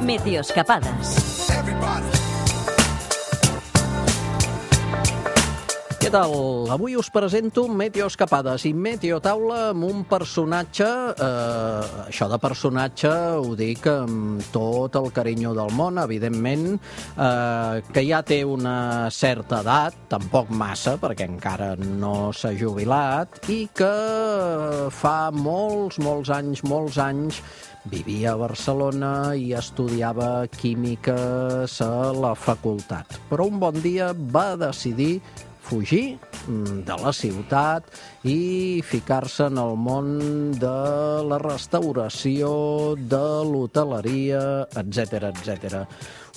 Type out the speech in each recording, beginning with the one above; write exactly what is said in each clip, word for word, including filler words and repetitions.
Meteoscapades. Què tal? Avui us presento Meteoscapades i Meteotaula amb un personatge, eh, això de personatge ho dic amb tot el carinyo del món, evidentment, eh, que ja té una certa edat, tampoc massa, perquè encara no s'ha jubilat, i que fa molts, molts anys, molts anys, vivia a Barcelona i estudiava químiques a la facultat. Però un bon dia va decidir fugir de la ciutat i ficar-se en el món de la restauració, de l'hoteleria, etcètera, etcètera.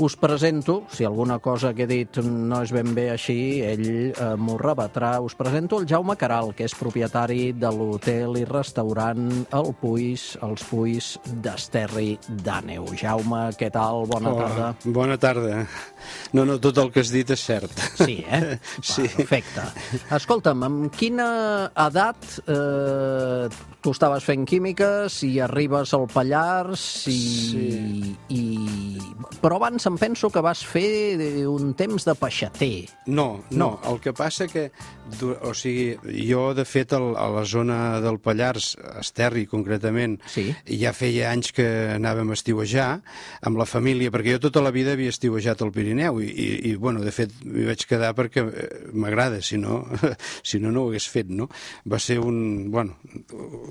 Us presento, si alguna cosa que he dit no és ben bé així, ell eh, m'ho rebatrà, us presento el Jaume Caral, que és propietari de l'hotel i restaurant El Puis, els Puis d'Esterri d'Àneu. Jaume, què tal? Bona Hola, tarda. Bona tarda. No, no, tot el que has dit és cert. Sí, eh? Sí. Va, perfecte. Escolta'm, amb quina edat eh, tu estaves fent químiques i arribes al Pallars i... Sí. i... Però abans em penso que vas fer un temps de peixater. No, no, No. el que passa que, du- o sigui, jo de fet el, a la zona del Pallars, a Esterri concretament, Sí. ja feia anys que anàvem a estiuejar amb la família, perquè jo tota la vida havia estiuejat al Pirineu i, i, i bueno, de fet m'hi vaig quedar perquè eh, m'agrada, si no, si no, no ho hagués fet, no? Va ser un, bueno,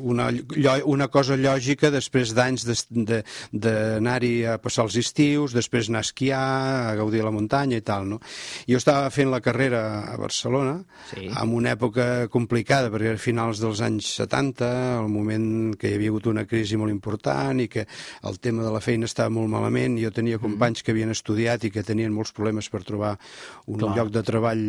una, llo- una cosa lògica després d'anys d'es- de- d'anar-hi a passar els estius, després anar a esquiar, a gaudir de la muntanya i tal, no? Jo estava fent la carrera a Barcelona, Sí. en una època complicada, perquè era finals dels anys setanta, el moment que hi havia hagut una crisi molt important i que el tema de la feina estava molt malament. Jo tenia companys que havien estudiat i que tenien molts problemes per trobar un Clar. lloc de treball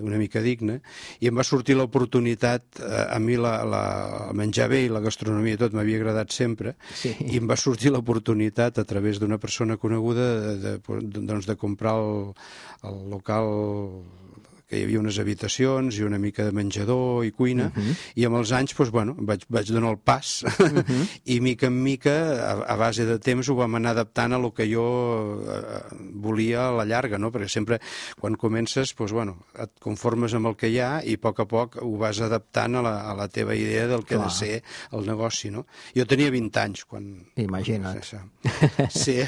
una mica digne, i em va sortir l'oportunitat, eh, a mi la, la, el menjar bé i la gastronomia i tot m'havia agradat sempre, Sí. i em va sortir l'oportunitat a través d'una persona coneguda de, de, de, doncs de comprar el, el local, que hi havia unes habitacions i una mica de menjador i cuina, uh -huh. i amb els anys doncs, bueno, vaig, vaig donar el pas uh -huh. i mica en mica, a, a base de temps, ho vam anar adaptant a lo que jo eh, volia a la llarga, no? Perquè sempre quan comences doncs, bueno, et conformes amb el que hi ha i a poc a poc ho vas adaptant a la, a la teva idea del que Clar. ha de ser el negoci, no? Jo tenia vint anys quan... Imagina't. Sí.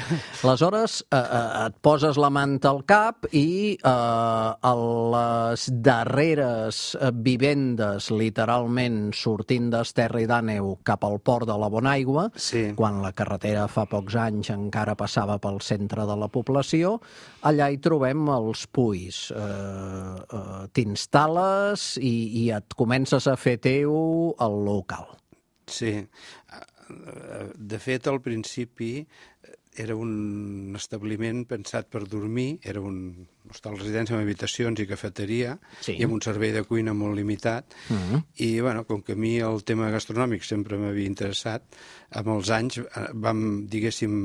Aleshores, eh, eh, et poses la manta al cap i eh, a les darreres eh, vivendes, literalment, sortint d'Esterri d'Àneu cap al port de la Bonaigua, Sí. quan la carretera fa pocs anys encara passava pel centre de la població, allà hi trobem els Puys. Eh, eh, T'instal·les i, i et comences a fer teu el local. Sí. De fet, al principi era un establiment pensat per dormir, era un hostal residència amb habitacions i cafeteria, Sí. i amb un servei de cuina molt limitat. Mm-hmm. I, bueno, com que a mi el tema gastronòmic sempre m'havia interessat, amb els anys eh, vam, diguéssim,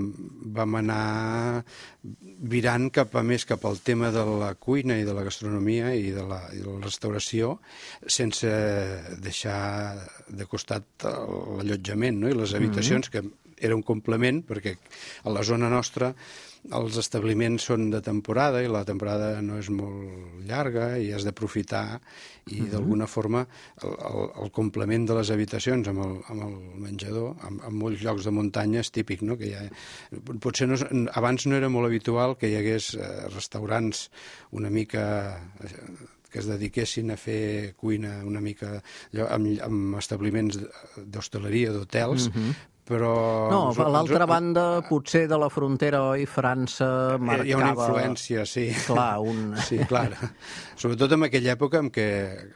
vam anar virant cap a més cap al tema de la cuina i de la gastronomia i de la, i de la restauració, sense deixar de costat l'allotjament, no? I les habitacions, que era un complement, perquè a la zona nostra els establiments són de temporada i la temporada no és molt llarga i has d'aprofitar i d'alguna forma el, el, el complement de les habitacions amb el, amb el menjador, amb, amb molts llocs de muntanya és típic, no? Que hi ha, potser no, abans no era molt habitual que hi hagués eh, restaurants una mica que es dediquessin a fer cuina una mica allò, amb, amb establiments d'hostaleria, d'hotels, mm-hmm. però... No, a l'altra banda, potser de la frontera, oi, França marcava... Hi ha una influència, sí. Clar, un... Sí, clar. Sobretot en aquella època en què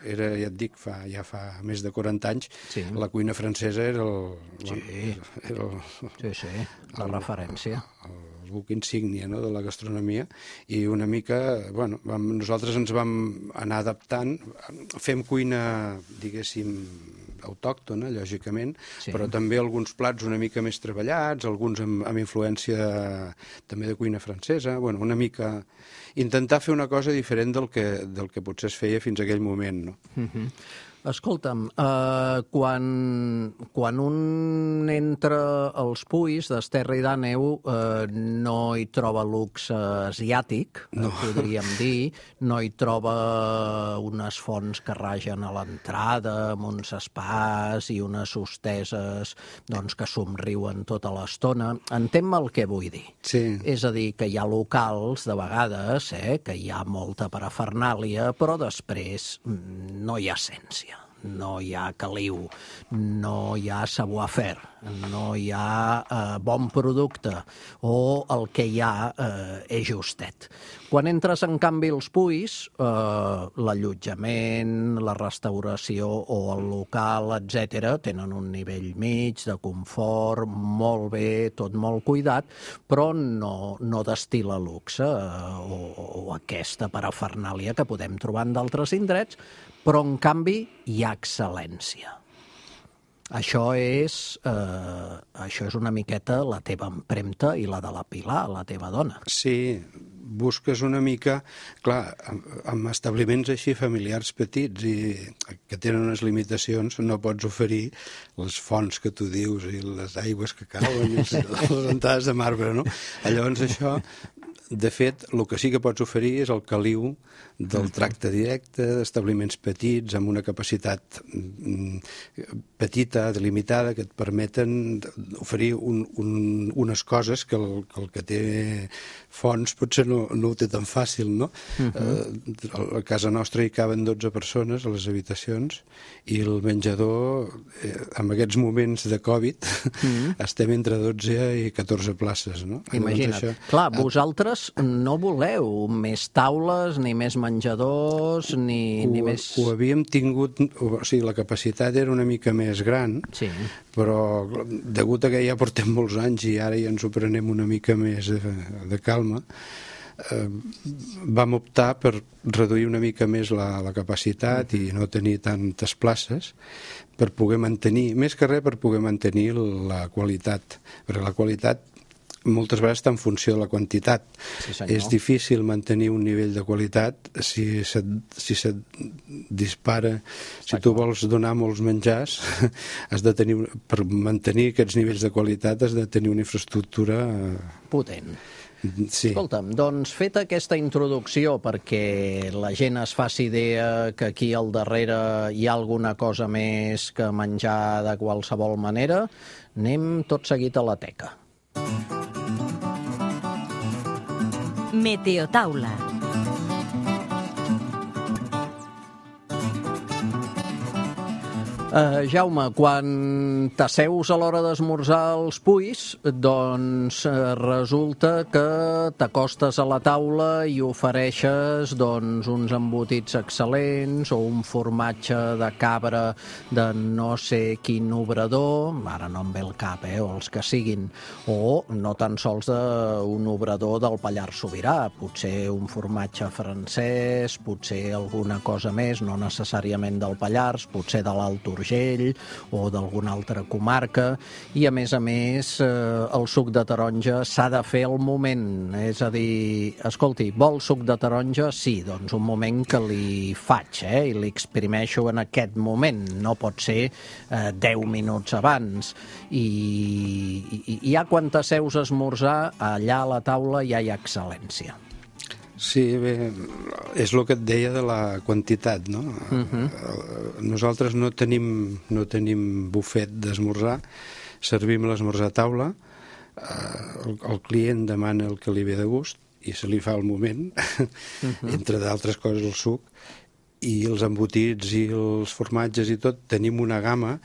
era, ja et dic, fa, ja fa més de quaranta anys, Sí. la cuina francesa era el... Sí. Bueno, era el, Sí, sí, la referència. el buc insígnia, no?, de la gastronomia, i una mica, bueno, vam, nosaltres ens vam anar adaptant, fem cuina, diguéssim, autòctona, lògicament, Sí. però també alguns plats una mica més treballats, alguns amb, amb influència de, també de cuina francesa, bueno, una mica... Intentar fer una cosa diferent del que, del que potser es feia fins a aquell moment, no? Uh-huh. Escolta'm, eh, quan, quan un entra als Puys d'Esterri d'Àneu eh, no hi troba luxe asiàtic, no. podríem dir, no hi troba unes fonts que ragen a l'entrada, amb uns espais i unes hosteses doncs, que somriuen tota l'estona. Entén-me el que vull dir. Sí. És a dir, que hi ha locals, de vegades, eh, que hi ha molta parafernàlia, però després no hi ha essència. No hi ha caliu, no hi ha savoir-faire, no hi ha eh, bon producte, o el que hi ha eh, és justet. Quan entres, en canvi, als Puys, eh, l'allotjament, la restauració o el local, etcètera, tenen un nivell mig de confort, molt bé, tot molt cuidat, però no, no destil·la luxe eh, o, o aquesta parafernàlia que podem trobar en d'altres indrets, però, en canvi, hi ha excel·lència. Això és, eh, això és una miqueta la teva empremta i la de la Pilar, la teva dona. Sí, busques una mica, clar, amb, amb establiments així familiars petits i que tenen unes limitacions, no pots oferir les fonts que tu dius i les aigües que cauen i les, les entrades de marbre, no? Llavors això, de fet, el que sí que pots oferir és el caliu del tracte directe, d'establiments petits, amb una capacitat petita, delimitada, que et permeten oferir un, un, unes coses que el, que el que té fonts potser no, no ho té tan fàcil, no? Uh -huh. A casa nostra hi caben dotze persones a les habitacions i el menjador, eh, en aquests moments de Covid, uh -huh. estem entre dotze i catorze places, no? Imagina't. Això... Clar, vosaltres no voleu més taules ni més menjadors, ni, ho, ni més... Ho havíem tingut, o sigui, la capacitat era una mica més gran, sí. però degut a que ja portem molts anys i ara ja ens ho prenem una mica més de, de calma, eh, vam optar per reduir una mica més la, la capacitat i no tenir tantes places per poder mantenir, més que res per poder mantenir la qualitat, perquè la qualitat moltes vegades està en funció de la quantitat. Sí, és difícil mantenir un nivell de qualitat si se't, si se't dispara. Si tu vols donar molts menjars, has de tenir, per mantenir aquests nivells de qualitat has de tenir una infraestructura potent. Sí. Escolta'm, doncs feta aquesta introducció perquè la gent es faci idea que aquí al darrere hi ha alguna cosa més que menjar de qualsevol manera, anem tot seguit a la teca. Meteotaula. Uh, Jaume, quan t'asseus a l'hora d'esmorzar als Puys, doncs uh, resulta que t'acostes a la taula i ofereixes doncs, uns embotits excel·lents o un formatge de cabra de no sé quin obrador, ara no em ve el cap, eh, o els que siguin, o no tan sols d'un obrador del Pallars Sobirà, potser un formatge francès, potser alguna cosa més, no necessàriament del Pallars, potser de l'Alt Urgell o d'alguna altra comarca, i a més a més eh, el suc de taronja s'ha de fer al moment, és a dir, escolti, vol suc de taronja? Sí, doncs un moment que li faig, eh, i li exprimeixo en aquest moment, no pot ser eh, deu minuts abans, i, i, i ja quan t'asseus a esmorzar, allà a la taula ja hi ha excel·lència. Sí, bé, és el que et deia de la quantitat, no? Uh-huh. Nosaltres no tenim, no tenim bufet d'esmorzar, servim l'esmorzar a taula, el, el client demana el que li ve de gust i se li fa al moment, uh-huh. entre d'altres coses el suc, i els embotits i els formatges i tot, tenim una gamma.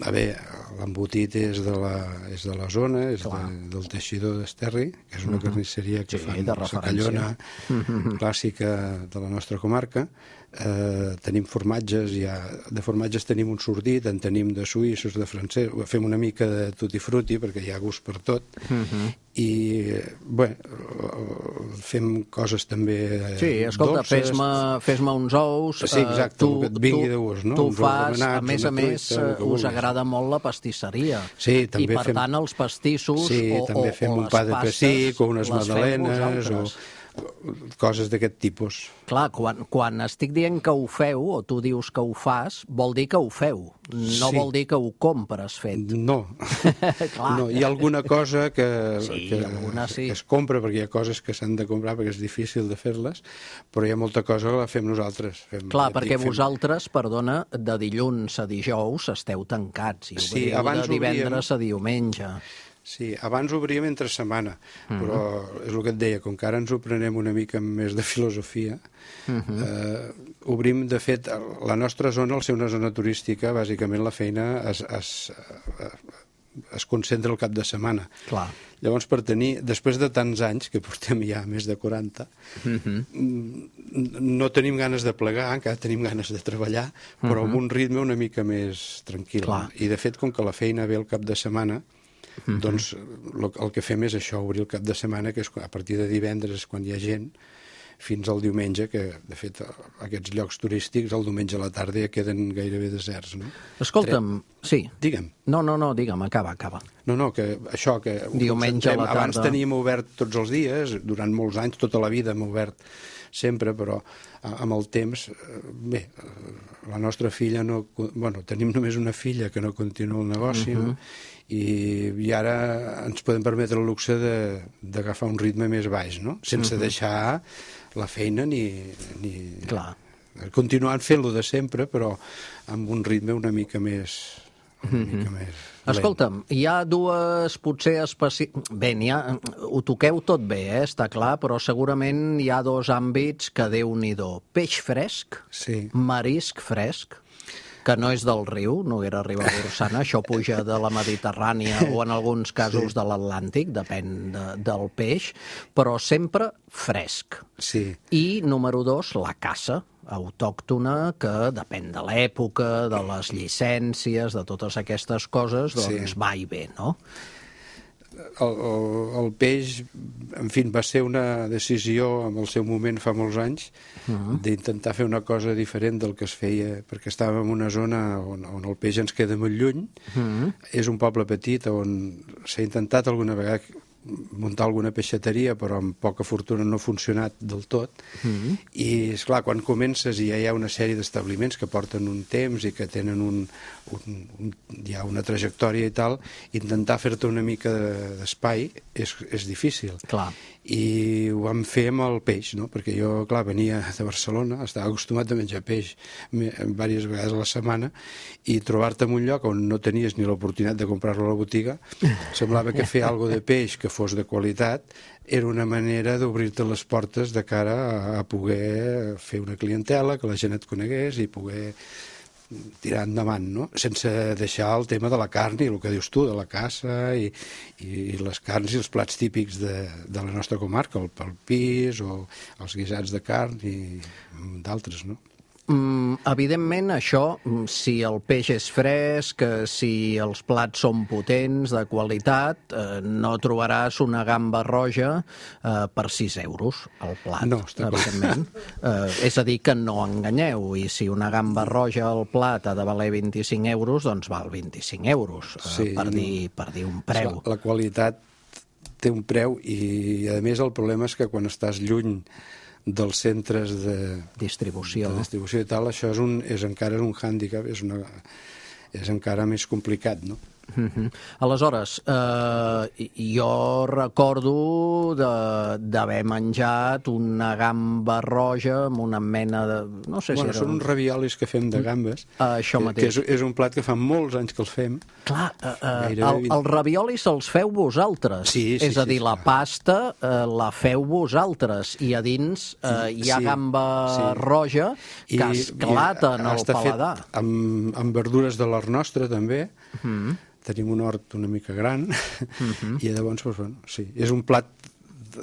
A veure, l'embotit és de la, és de la zona, és de, del teixidor d'Esterri, que és una uh-huh. carnisseria que sí, fan la callona uh-huh. clàssica de la nostra comarca. Eh, tenim formatges, ja, de formatges tenim un sordit, en tenim de suïssos, de francès, fem una mica de tutti frutti perquè hi ha gust per tot, uh-huh. i bé, fem coses també sí, escolta, dolces. Fes-me fes-me uns ous, sí, exacte, tu, que et vingui de gust, no? Tu uns fas, remenats, a més a més, truita, us agrada molt la pastisseria, sí, també i per fem... tant els pastissos sí, o, també o, fem o un pa de pessic o unes magdalenes o coses d'aquest tipus. Clar, quan, quan estic dient que ho feu, o tu dius que ho fas, vol dir que ho feu, no Sí. vol dir que ho compres fet. No. Clar. no, hi ha alguna cosa que, Sí, que, alguna sí. que es compra, perquè hi ha coses que s'han de comprar perquè és difícil de fer-les, però hi ha molta cosa que la fem nosaltres. Fem, Clar, ja et perquè dic, fem- vosaltres, perdona, de dilluns a dijous esteu tancats i Sí, obriu abans de divendres obríem- a diumenge. Sí, abans obríem entre setmana, Mhm. però és el que et deia, com que ara ens ho prenem una mica amb més de filosofia, Mhm. eh, obrim, de fet, la nostra zona, al ser una zona turística, bàsicament la feina es, es, es concentra el cap de setmana. Clar. Llavors, per tenir, després de tants anys, que portem ja més de quaranta, Mhm. no tenim ganes de plegar, encara tenim ganes de treballar, però amb un ritme una mica més tranquil. Clar. I, de fet, com que la feina ve el cap de setmana, doncs el, el que fem és això, obrir el cap de setmana, que és a partir de divendres, quan hi ha gent, fins al diumenge, que, de fet, aquests llocs turístics, el diumenge a la tarda ja queden gairebé deserts, no? Escolta'm, sí. Digue'm. No, no, no, digue'm, acaba, acaba. No, no, que això, que ho Diumenge a la concentrem. Abans tarda. teníem obert tots els dies, durant molts anys, tota la vida hem obert sempre, però a- amb el temps, eh, bé, eh, la nostra filla no... Bueno, tenim només una filla que no continua el negoci, no? I, i ara ens podem permetre el luxe de- d'agafar un ritme més baix, no? Sense deixar la feina ni... ni... Clar. Continuant fent-lo de sempre, però amb un ritme una mica més... Una mica més lent. Escolta'm, hi ha dues, potser, especi... Bé, n'hi ha... ho toqueu tot bé, eh? Està clar, però segurament hi ha dos àmbits que Déu-n'hi-do. Peix fresc, Sí. marisc fresc, que no és del riu, Noguera Ribagorçana, això puja de la Mediterrània o en alguns casos de l'Atlàntic, depèn de, del peix, però sempre fresc. Sí. I, número dos, la caça autòctona, que depèn de l'època, de les llicències, de totes aquestes coses, doncs Sí. va i ve, no? El, el, el peix, en fi, va ser una decisió en el seu moment fa molts anys d'intentar fer una cosa diferent del que es feia, perquè estàvem en una zona on, on el peix ens queda molt lluny. És un poble petit on s'ha intentat alguna vegada muntar alguna peixateria, però amb poca fortuna no ha funcionat del tot. I, esclar, quan comences i ja hi ha una sèrie d'establiments que porten un temps i que tenen un, un, un, ja una trajectòria i tal, intentar fer-te una mica d'espai és, és difícil. Clar. I ho vam fer amb el peix, no? Perquè jo, clar, venia de Barcelona, estava acostumat a menjar peix diverses vegades a la setmana, i trobar-te en un lloc on no tenies ni l'oportunitat de comprar-lo a la botiga, semblava que fer alguna de peix que fos de qualitat era una manera d'obrir-te les portes de cara a, a poder fer una clientela, que la gent et conegués i poder tirar endavant, no? Sense deixar el tema de la carn i el que dius tu, de la caça i, i les carns i els plats típics de, de la nostra comarca, el, el pis o els guisats de carn i d'altres, no? Mm, evidentment, això, si el peix és fresc, eh, si els plats són potents, de qualitat, eh, no trobaràs una gamba roja eh, per sis euros al plat, No, està clar. evidentment. Eh, és a dir, que no enganyeu, i si una gamba roja al plat ha de valer vint-i-cinc euros, doncs val vint-i-cinc euros, eh, Sí, per, no. dir, per dir un preu. La, la qualitat té un preu i, a més, el problema és que quan estàs lluny dels centres de Distribució. de distribució i tal, això és, un, és encara un hàndicap, és, una, és encara més complicat, no? Mhm. Aleshores, eh, jo recordo de- d'haver menjat una gamba roja amb una mena de... No sé Bueno, si era... són uns raviolis que fem de gambes, Ah, això que, mateix. que és, és un plat que fa molts anys que el fem. Clar, eh, eh, Gairebé el, vint- el ravioli se'ls feu vosaltres. Sí, sí, És a sí, dir, la clar. pasta eh, la feu vosaltres i a dins eh, hi ha Sí, gamba sí. roja que esclata en el està fet paladar. amb, amb verdures de l'hort nostre, també. Mm. Tenim un hort una mica gran Mhm. i llavors, doncs, bueno, sí, és un plat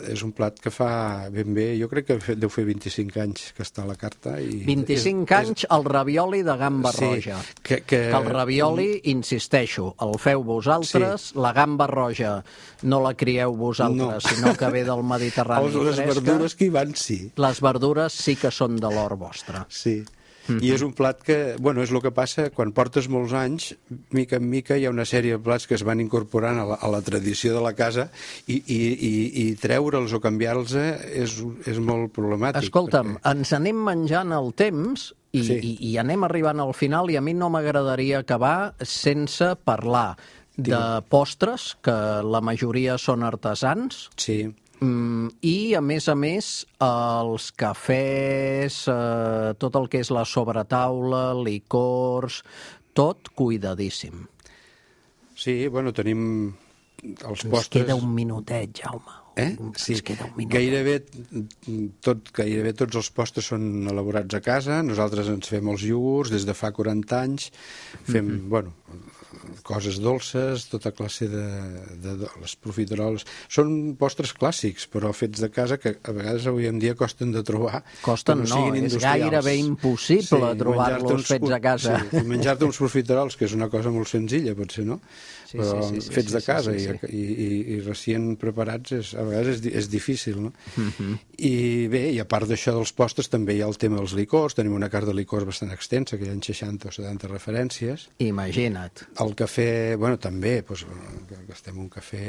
és un plat que fa ben bé, jo crec que fe- deu fer vint-i-cinc anys que està a la carta. I vint-i-cinc és, anys el ravioli de gamba Sí, roja. que- que- que el ravioli, insisteixo, el feu vosaltres, la gamba roja no la crieu vosaltres, No. sinó que ve del Mediterrani Els, les fresca. verdures que hi van, sí. Les verdures sí que són de l'hort vostre. Sí. Mm-hmm. I és un plat que, bueno, és el que passa quan portes molts anys, mica en mica hi ha una sèrie de plats que es van incorporant a la, a la tradició de la casa i, i, i, i treure'ls o canviar-los és, és molt problemàtic. Escolta'm, perquè... ens anem menjant el temps i, sí. i, i anem arribant al final i a mi no m'agradaria acabar sense parlar de postres, que la majoria són artesans. Sí. I, a més a més, els cafès, eh, tot el que és la sobretaula, licors, tot cuidadíssim. Sí, bueno, tenim els Ens postres... queda un minutet, Jaume. Eh? Sí, Ens queda un minutet. Gairebé, tot, gairebé tots els postres són elaborats a casa. Nosaltres ens fem els iogurts des de fa quaranta anys. Fem, mm-hmm. bueno... coses dolces, tota classe de, de, de les profiteroles. Són postres clàssics, però fets de casa, que a vegades avui en dia costen de trobar. Costen no, no és gairebé impossible sí, trobar-los fets a casa. Sí, menjar-te uns profiterols, que és una cosa molt senzilla, potser, no? Sí, però sí, sí, sí, fets sí, de casa sí, sí, sí. I, i, i recient preparats, és, a vegades és, és difícil, no? Uh-huh. I bé, i a part d'això dels postres, també hi ha el tema dels licors. Tenim una carta de licors bastant extensa, que hi ha seixanta o setanta referències. Imagina't. El cafè, bueno, també, doncs, gastem un cafè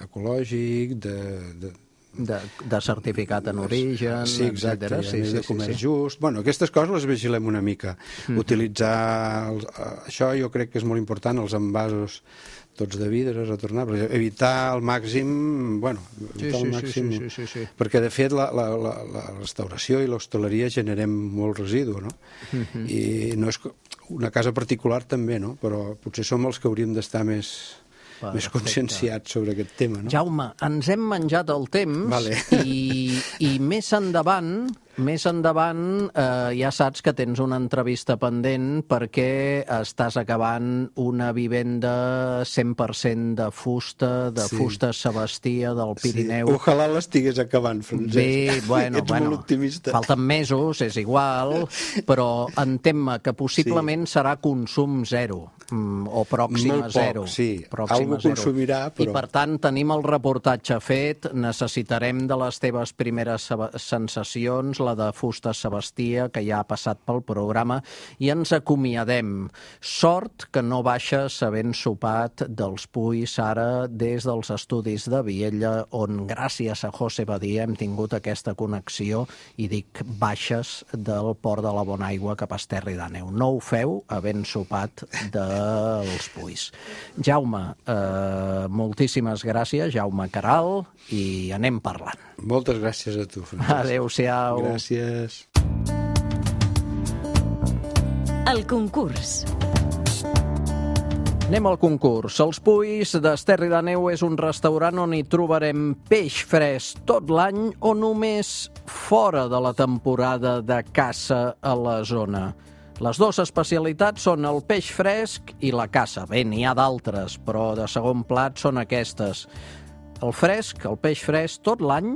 ecològic, de... de De, de certificat en origen, sí, exacte, etcètera. Sí, sí, de sí, comerç sí. just. Bueno, aquestes coses les vigilem una mica. Mm-hmm. Utilitzar... Els, això jo crec que és molt important, els envasos tots de vidre retornables. Evitar al màxim... Bueno, evitar sí, al màxim... Sí, sí, sí, sí, sí. Perquè, de fet, la, la, la, la restauració i l'hostaleria generem molt residu, no? Mm-hmm. I no és una casa particular també, no? Però potser som els que hauríem d'estar més... Perfecte. Més conscienciats sobre aquest tema, no? Jaume, ens hem menjat el temps vale. i, i més endavant, més endavant eh, ja saps que tens una entrevista pendent perquè estàs acabant una vivenda cent per cent de fusta, de sí. fusta Sebastia del Pirineu. Sí. Ojalà l'estigués acabant, Francesc. Bé, bueno, Ets bueno, molt optimista. Falten mesos, és igual, però entén-me que possiblement sí. serà consum zero. O pròxim a zero. Molt poc, sí. Pròxim Algú consumirà, però... I, per tant, tenim el reportatge fet, necessitarem de les teves primeres sensacions, la de fusta Sebastia, que ja ha passat pel programa, i ens acomiadem. Sort que no baixes havent sopat dels Puys ara des dels estudis de Viella, on gràcies a José Badia hem tingut aquesta connexió, i dic baixes del port de la Bonaigua cap a Esterri d'Àneu. No ho feu havent sopat de els Puys. Jaume, eh, moltíssimes gràcies, Jaume Caral, i anem parlant. Moltes gràcies a tu, Francesc. Adéu-siau. Gràcies. El concurs. Anem al concurs. Els Puys d'Esterri d'Àneu és un restaurant on hi trobarem peix fresc tot l'any o només fora de la temporada de caça a la zona. Les dues especialitats són el peix fresc i la caça. Bé, n'hi ha d'altres, però de segon plat són aquestes. El fresc, el peix fresc, tot l'any.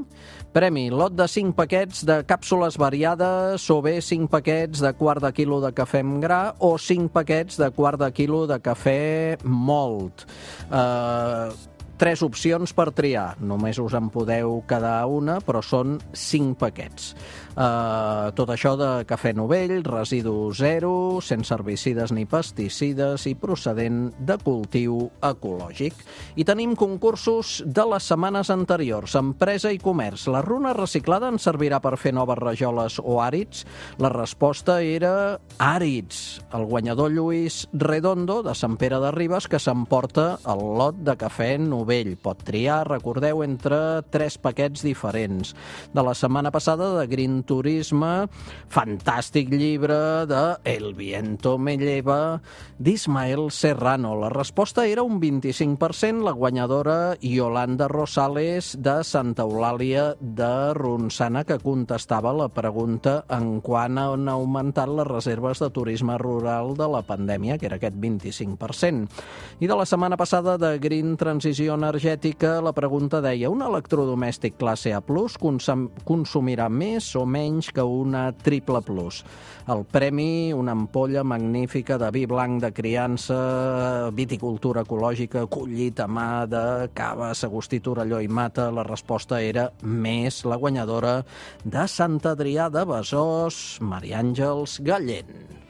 Premi, lot de cinc paquets de càpsules variades o bé cinc paquets de quart de quilo de cafè amb gra o cinc paquets de quart de quilo de cafè mòlt. Eh... Tres opcions per triar. Només us en podeu quedar una, però són cinc paquets. Uh, tot això de cafè novell, residu zero, sense herbicides ni pesticides i procedent de cultiu ecològic. I tenim concursos de les setmanes anteriors. Empresa i comerç. La runa reciclada ens servirà per fer noves rajoles o àrids? La resposta era àrids. El guanyador Lluís Redondo, de Sant Pere de Ribes, que s'emporta el lot de cafè novell. Pot triar, recordeu, entre tres paquets diferents. De la setmana passada, de Green Turisme, fantàstic llibre de El viento me lleva, d'Ismael Serrano. La resposta era un vint-i-cinc per cent. La guanyadora Yolanda Rosales, de Santa Eulàlia de Ronçana, que contestava la pregunta en quant han augmentat les reserves de turisme rural de la pandèmia, que era aquest vint-i-cinc per cent. I de la setmana passada, de Green Transició eficiència energètica, la pregunta deia: un electrodomèstic classe A plus consum consumirà més o menys que una triple plus? El premi, una ampolla magnífica de vi blanc de criança, viticultura ecològica, collit a mà de cava, Sagustí, Torelló i Mata. La resposta era més, la guanyadora de Sant Adrià de Besòs, Maria Àngels Gallent.